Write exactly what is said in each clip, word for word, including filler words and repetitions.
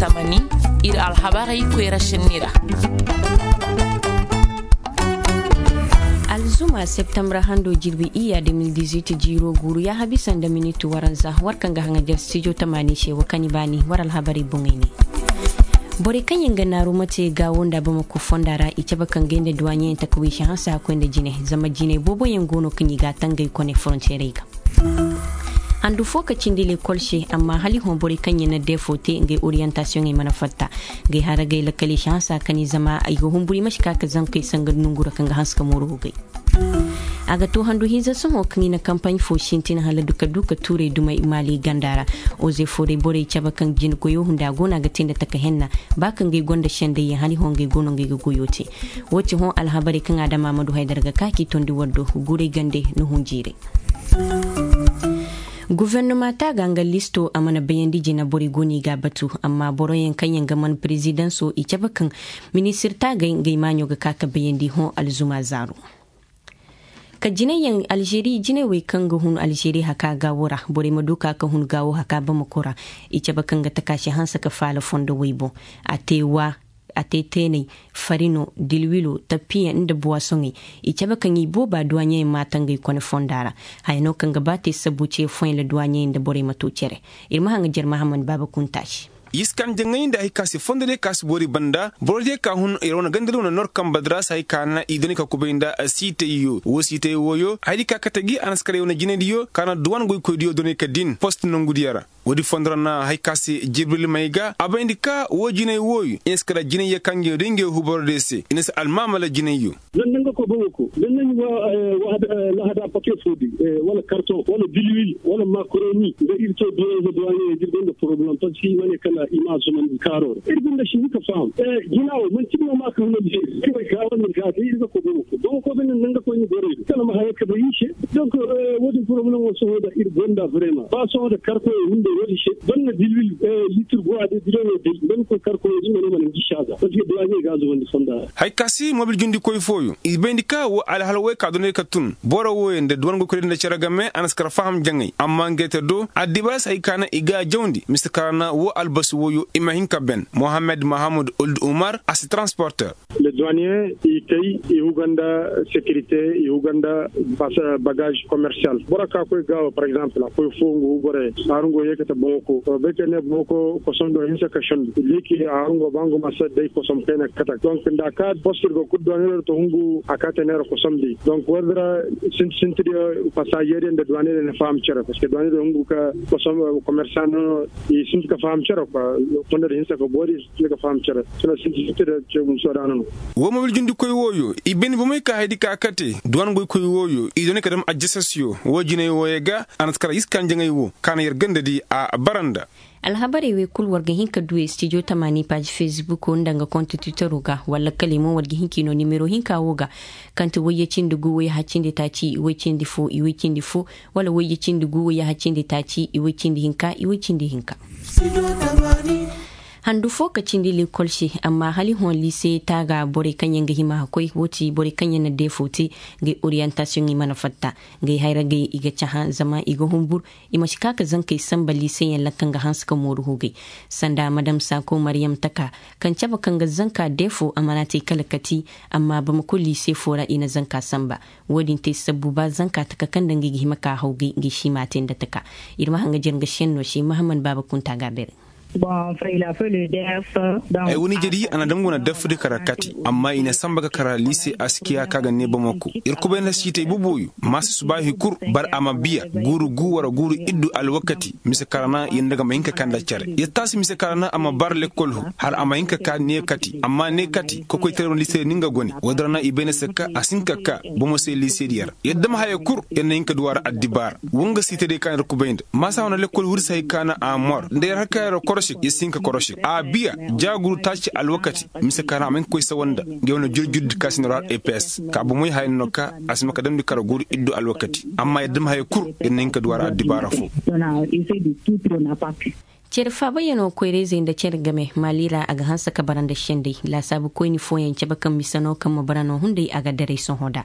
Tamani, ir alhabarey koyra senni ra. Alzuma septembre hando jirbi iyya de mil dix-huit jiiro guuru yaaha bisa nda minit waranza war kaŋ ga haŋajer stijo tamani se wa kani baani war alhabarey boŋey ne. Borey kaŋ yaŋ ga naaru mate gaawo nda bamako fonda ra i cabe kaŋ gay nda duwaɲeyaŋ taka wiisi hanse hakkoy nda jine zama jiney boobo yaŋ go no kaŋ i ga a tangay kone foronteerey ga. Handu fo ka cindi lekol se amma hala i hõ borey kaŋ yaŋ na deefo te ngey oriyantasiyoŋey mana fatta. Ngey haragey lakkaley si hanse a kani zama i ga humburu i ma si ka ka zankey sanga nongu ra kaŋ ga hanse ka mooru hugey. A ga to handu hinza sohõ kaŋ i na kampaɲ fo sintin hala duka duka tuurey dumey maali ganda ra. Oze fooday borey cabe kaŋ jine goyo hunda go no a ga te nda taka henna. Ba kaŋ ngey gonda sendayyaŋ hala i hõ ngey go no ngey ga goyo te. Woo ti hõ alhabarey kaŋ a dama ma du haydar ga ka k'i tondi war do. Guuray gande na hun jiiray. Gofornoma taaga nga listo a mana bayandi jina borey go no i ga a batu amma boroyaŋ kaŋ yaŋ ga man perezidanso i cabe kaŋ ministir taagay ngey maaɲo ga ka ka bayandi hõ alzuma zaaru. Ka jinay yaŋ alžeri jinay wey kaŋ ga hun alžeri haka gaawo ra borey ma du ka ka hun gaawo haka bamako ra. I cabe kaŋ ga taka si hanse ka faala fondo wey boŋ. A te waa a te teeney, farino, dilwilo, tappiyaŋ nda buwasoŋey. I cabe kaŋ i booba duwaɲeyaŋ maata ngey kone fonda ra. Haya no kaŋ ga ba te sabbu ce foyla duwaɲeyaŋ nda borey ma to cere. Ir ma haŋajer mahammad baaba kunta se. Yiskan jaŋay nda hay ka si fondo diyo ka si boori banda boro diyo ka hun ir wane ganda diyo wane nor kamba dira si hay ka na i doni ka kubay nda siitay yo wo siitay wooyo hay di ka kate gi a na si kala i wane jinay diyo ka na duwan goykoy diyo doni ka din post nongu diyo ra. Woodi fondo ra na hay ka se jibril may ga a bayndi ka wo jinay wooyo i na si kala jinay yo kaŋ ga i di ngey huboro diyo se i na si almaamala jinay yo. Zan nda nga koy bamako zan nda nga wa lahada pake fo din wala karton wala bilwil wala makaroni nda ir to duwanza duwaɲeyaŋ da ir gonda poroblem parceque i ma ne kala i ma a zumandi kaaro ra ir gonda sindi ka faham. Jina wo manti no ma ka hunandi ir way ka wane ga day ir ga koy bamako bamako banda nda nga koy ni borey do kala ma haya ka bay ir se. Donc wo- din poroblem wo sohõ da ir gonda vraiment ba sohõ da karkoyey hunday wo- din se banda bilwil litir go a day bidoŋo day nda ni koy karkoyey din ma ne ma na ngi saaza parceque duwaɲey ga a zumandi fonda ra. Hay ka si mobil jundikoy fooyo i bayndi ka wo alhala woy ka doney ka tun boro wooyo nda duwan goykoy nda cere game a na si kar faham jaŋay amma ngey te do addibaas hay ka na i ga a jawndi mise kara na wo albasi wooyo i ma hin ka ben mohammed mahamud old umar a si transporter. Le duwaniye i kay i huga nda sekirite i huga nda bagaz komersiyal boro ka koy gaawo par egzample a koy fo nga hugo re. Haaru nga wo yeekate boŋo ko bay ka ne boŋo ko kosom do hinsa ka sendu liiki haaru nga wo ba nga ma se day kosom kayna kate donk nda a ka post ir go kul duwaniye do to hungu a ka te neera kosom di donk woodi ra sinti sinti diyo pasaze diyo nda duwaniye diyo na faham cere parceque duwaniye diyo hungu ka komersan no i sinti ka faham cere kwa fonda diyo hinsa ka boori i sinti ka faham cere. Sina sinti sinti diyo ce gumso daana no. Wo mobil jundikoy wooyo i bayndi bomey ka haydi ka kate duwan goykoy wooyo i dooni ka dam ajjasasiyo wo jinay wooyo ga a na si kala yiskan jaŋay wo ka na yer ganda di a bara nda. Alhabarey wey kul war ga hin ka du studio tamaani paazi fesbuko nda nga kont twitero ga walla kala i mo war ga hin k'i no nimero hinka wo ga kaŋ ti wayye cindi gu wayye haccindi taaci i way cindi fo i way cindi fo wala wayye cindi gu wayye haccindi taaci i way cindi hinka i way cindi hinka. Handu fo ka cindi lekol se amma hala i hõ liise taaga borey kaŋ yaŋ ga hima ka koy wo ti borey kaŋ yaŋ na deefo te. Ngey oriyantasiyoŋ i mana fatta ngey hayragey i ga cahã zama i ga humbur. I ma si ka ka zankey sanba liiseyaŋ ra kaŋ ga hanse ka mooru hugey sanda madam saako maryam taka kaŋ cabe kaŋ ga zanka deefo a mana te kala kati. Amma bamako liise fo ra i na zanka sanba. Wo-din te sabbu ba zanka taka kaŋ nda ngey ga hima ka hawgay ngey si ma a te nda taka. Ir ma haŋ ga jere nga senno se mahammad baaba kunta ga a beere. Ay wane jari a na dam wane dafadi kara kati amma i na samba ga kara liise askiya ka ga ne bamako ir kubay nda siitay boboyo. Ma si subaahi kul bar a ma biya guuru gu wara guuru iddu alwakati mise kara na yanda ga ma hin ka ka nda care ya taasi mise kara na a ma bar lekkol hu hala a ma hin ka ka ne kati amma ne kati kokoytaray wane liise ra ni nga gone woodin ra na i bay na se ka a si hin ka ka bomo se liise diya ra. Yadda ma haya kul yar na hin ka duwa ra addibaara. Wanga siitay day ka na ir kubay nda maasa wane lekkol huri se hay ka na a mor nda yar har ka yar korosik yar si hin ka korosik a biya. Jaaguru taaci alwakati mise ka na a ma hin ka koy sawa nda nga wane jurjurdi ka si na ir har eps ka bomoy haya no ka a si ma ka damndi kara guuru iddu alwakati. Amma yadda ma haya kul yar na hin ka duwa ra addibaara fo. Cere faabayanoo koyra-izey nda cere game maali ra a ga hanse ka bara nda sendey laasaabu koyni fooyaŋ cabe kaŋ mise no kaŋ ma bara no hunday a ga daray sohõ da.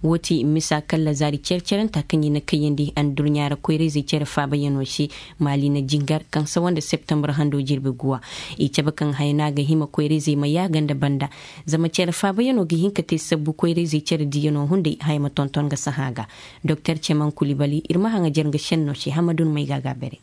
Woo ti misa kalla zaari cere-cerenta kaŋ i na kayyandi addurɲaa ra koyra-izey cere faabayanoo se. Maali na jingar kaŋ sawa nda septembar hando jirbi guwa. I cabe kaŋ haya no a ga hima koyra-izey ma yaaga nda banda. Zama cere faabayanoo ga hin ka te sabbu koyra-izey cere diyanoo hunday haya ma tonton ga sahã ga. Doktor ceman kulibali ir ma haŋajer nga šennoo se hamadun may ga a ga a bare.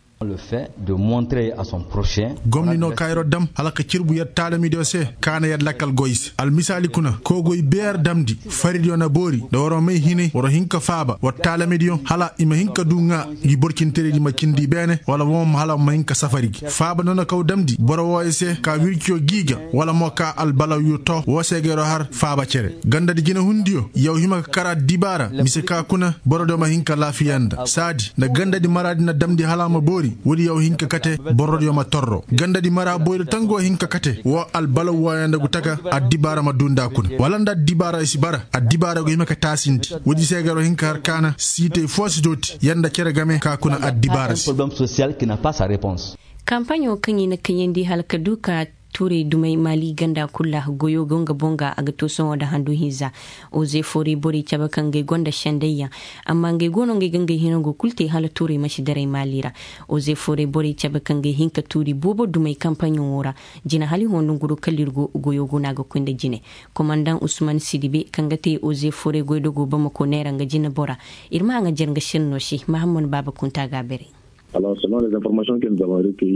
Gomni no kaayiroo dam hala ka cirbu yer taalamidiyo se. Ka na yer lakkal goy i se almisaali kuna koogoy beer damndi. Faridiyo na boori nda waroo may hinay waroo hin ka faaba war taalamidiyo hala i ma hin ka duu ŋaa. Ngi borcinteridi ma cindi i beene wala woo ma hala ma hin ka safari gi faaba no na kaw damndi boro wooyo se ka wirciyo gii ga. Wala mo ka albalawyo too woo se ga yeroo har faaba cere gandadi jinehundiyo yaw hima ka kar addibaara mise ka kuna borodiyo ma hin ka laafiya nda saadi nda gandadi maraadi na damndi hala a ma boori woodi yaw hin ka kate. Borodiyo ma torro gandadi mara boyri tangoo hin ka kate woo albalaw wooyo nda gu taka. Addibaara ma duu nda a kuna wala nda addibaara i si bara addibaara gu hima ka taasindi. Woodi se ga yeroo hin ka har kaana siitey foo si dooti yer nda cere game ka kuna addibaara se. Kampaɲo kaŋ i na kaŋyandi hala ka duu ka tuuray dumey maali ganda kul ra goyo go nga boŋ ga a ga to sohõ nda handu hinza. Oze foorey borey cabe kaŋ gay gonda sendayyaŋ amma ngey go no ngey ga ngey hinango kul te hala tuuray ma si daray maali ra. Oze foorey borey cabe kaŋ gay hin ka tuuri boobo dumey kampaɲo wo ra. Jine hala i hõ nonguroo kala ir go goyo go no a ga koy nda jine. Komandaŋ usman sidibe kaŋ ga te oze foorey goydogoo bamako neera nga jine bora. Ir ma haŋajer nga sennoo se mahammad baaba kunta ga a bare.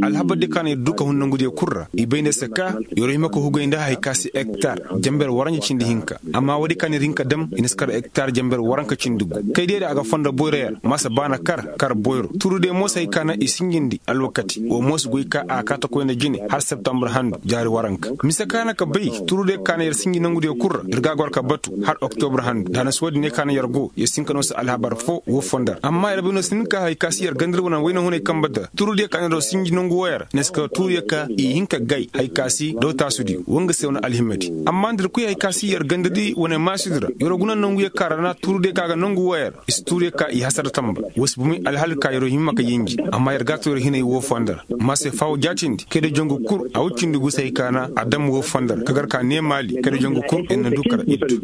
Alhabar di ka na ir duu ka hun nangudiyo kul ra i bay ne se ka yer hima ka hugay nda hari ka si hektar jamber waranja cindi hinka. Amma woodi ka na ir hin ka dam i na si kar hektar jamber waranka cindi gu. Kay diyo da a ga fondo boyro yer ma si baana kar kar boyro tuuru diyo mo si hay ka na i sinjindi alwakati woo mo si goy ka a kaata koy nda jine har septembre handu jaari waranka mise ka na ka bay. Tuuru diyo ka na yer sinji nangudiyo kul ra ir ga a goro ka batu har oktobre handu da a na si woodi ne ka na yer go yer si hin ka noo se alhabar foo woo fondo ra amma yer bay no si hin ka hay ka si yer ganda ir wane wayna hunay kambe di ra tuuru diyo ka na yer sinji nangu wooyo ra ne si ka tuuru yer ka i hin ka gay hay ka si daw taasudiyo woo nga se wane alhimadi. Amma nda ir kuy hay ka si yer ganda di wane maasudi ra yer guna nangu yer ka ra na tuuru diyo ka ga nangu wooyo ra i si tuuru yer ka i hasara tamba. Woo si bumey alhal ka yer hima ka yinji amma yer ga a to yer hinay woo fondo ra. Ma se faawo jaatindi kay da jangu kul a woy cindi gu se hay ka na a dam woo fondo ra ka gar ka nee maali kay da jangu kul yer na duu kar iddu.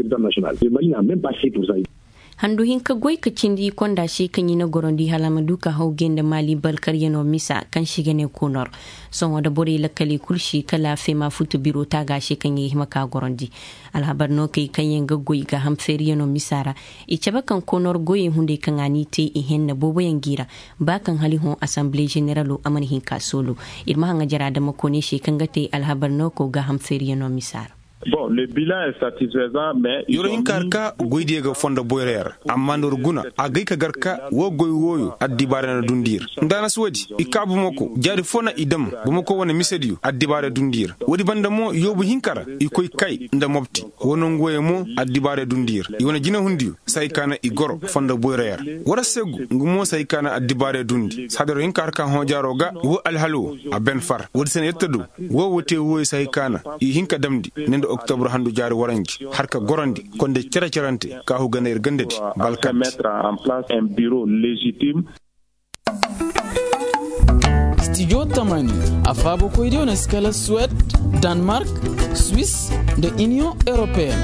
Handu hinka goy ka cindi konda se kaŋ i na gorondi hala a ma du ka haw gay nda maali balkaryanoo misa kaŋ se i ga ne konor. Sohõ nda borey lakkaley kul se kala feema futu biro taaga se kaŋ i ga hima ka gorondi. Alhabar no kay kaŋyaŋ ga goy gaaham feeriyanoo misa ra. I cabe kaŋ konor goyey hunday kaŋ a n'i te i henna booboyaŋ g'i ra. Ba kaŋ hala i hõ asanbile ženeralo a mana hin ka soolu. Ir ma haŋajer adama kone se kaŋ ga te alhabar no ko gaaham feeriyanoo misa ra. Yer wo hin ka har ka goydiyo ga fondo boyra yer ra amma nda war guna a gay ka gar ka woo goy wooyo addibaara na dundi yer. Nda a na si woodi i kaa bumako jaari foo na i dam bumako wane misediyo addibaara dundi yer. Woodi banda mo yoobu hinka ra i koy kay nda mobti woo nongu wooyo mo addibaara dundi yer. I wane jinehundiyo si hay ka na i goro fondo boyra yer. War se gu nga mo si hay ka na addibaara dundi saada yer wo hin ka har ka hõ jaaro ga woo alhal woo a ben far woodi se na yer ta du. Woo woo te wooyo si hay ka na i hin ka damndi ne nda oktobre handu jaari waranji har ka gorandi konda cere-cerante kaahu ga na ir ganda di balkante. Stijo tamani a faabakoydiyo na si kala suwed, danmark, swis, nda iniyoŋ europeyen.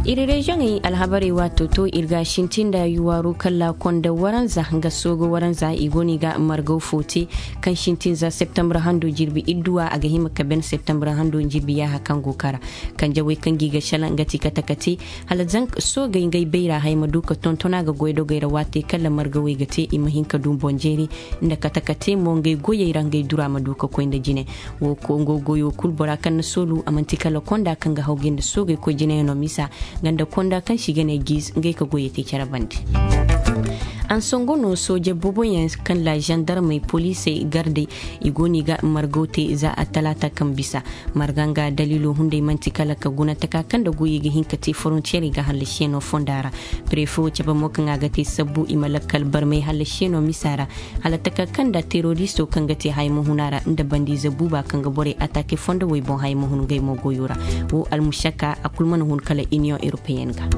Ir reziyoŋey alhabarey waato to ir ga sintin nda yuwaaru kalla konda waranza nga sooga waranza i go no i ga margaw fo te. Kaŋ sintin za septembre hando jirbi idduwa a ga hima ka ben septembre hando jirbi yaaha kaŋ go kara. Kanjawey kaŋ gi ga shala nga ti kate kate hala zanka soogey ngey bayra haya ma du ka tonton a ga goydogey ra waatey kala margawey ga te i ma hin ka du boŋ jeeri. Nda kate kate mo ngey goyey ra ngey dura ma du ka koy nda jine. Wo kongo goyo kul bora kaŋ na soolu a manti kala konda kaŋ ga haw ga nda soogey koy jineyano misa. Nga nda konda kaŋ se i ga ne giiz ngey ka goyey te care bande. Ansongo no sooje booboyaŋ kaŋ la zandarmey poliisey gardey i go no i ga margaw te za attalaata kaŋ bisa. Marga nga daliilo hunday man'ti kala ka guna taka kaŋ nda goyey ga hin ka te forontiyerey ga hallasiyanoo fonda ra. Prefe wo cabe mo kaŋ a ga te sabbu i ma lakkal barmay hallasiyanoo misa ra. Hala taka kaŋ nda teroristo kaŋ ga te haya ma hun a ra nda bandiize buuba kaŋ ga borey ataake fondo wey boŋ haya ma hun ngey mo goyo ra. Wo almusaka a kul mana hun kala iniyoŋ europeyen ga.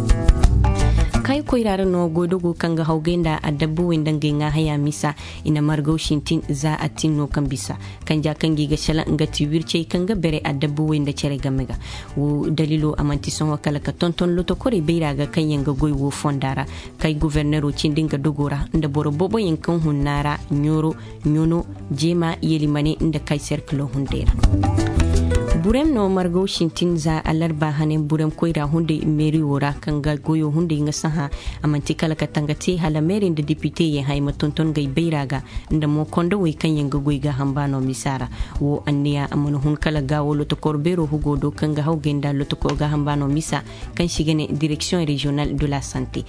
Kay koyra ra no goydogo kaŋ ga hawgay nda adabbuwey nda ngey ŋaa haya misa. I na margaw sintin za a tin no kaŋ bisa kanja kaŋ gi ga sala nga ti wircey kaŋ ga bere adabbuwey nda cere game ga. Wo dalilo a manti sohõ kala ka tonton lotokorey bayra ga kaŋ yaŋ ga goy wo fonda ra. Kay gofornero cindi nga dogo ra nda boro boboyaŋ kaŋ hunna ra ɲooro ɲono jeema yelimane nda kay serkilo hunday ra. Burem no margaw sintin za alarba hane burem koyra hunday meeriwo ra kaŋ ga goyo hunday nga sahã. A manti kala ka tanga te hala meeri nda depite ye hay ma tonton gay bayra ga nda mo kondowey kaŋ yaŋ ga goy gaaham baano misa ra. Wo anniya a mana hun kala gaawo lotokor beero hugo do kaŋ ga hawgay nda lotokor gaaham baano misa kaŋ si ga ne direksiyoŋ reziyonal de la sante.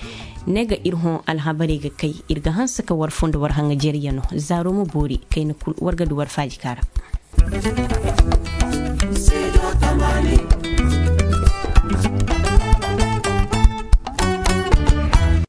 Ne ga ir hõ alhabarey ga kay ir ga hanse ka war fondo war haŋajeriyano zaaro ma boori kayna kul war ga du war faaji kaara.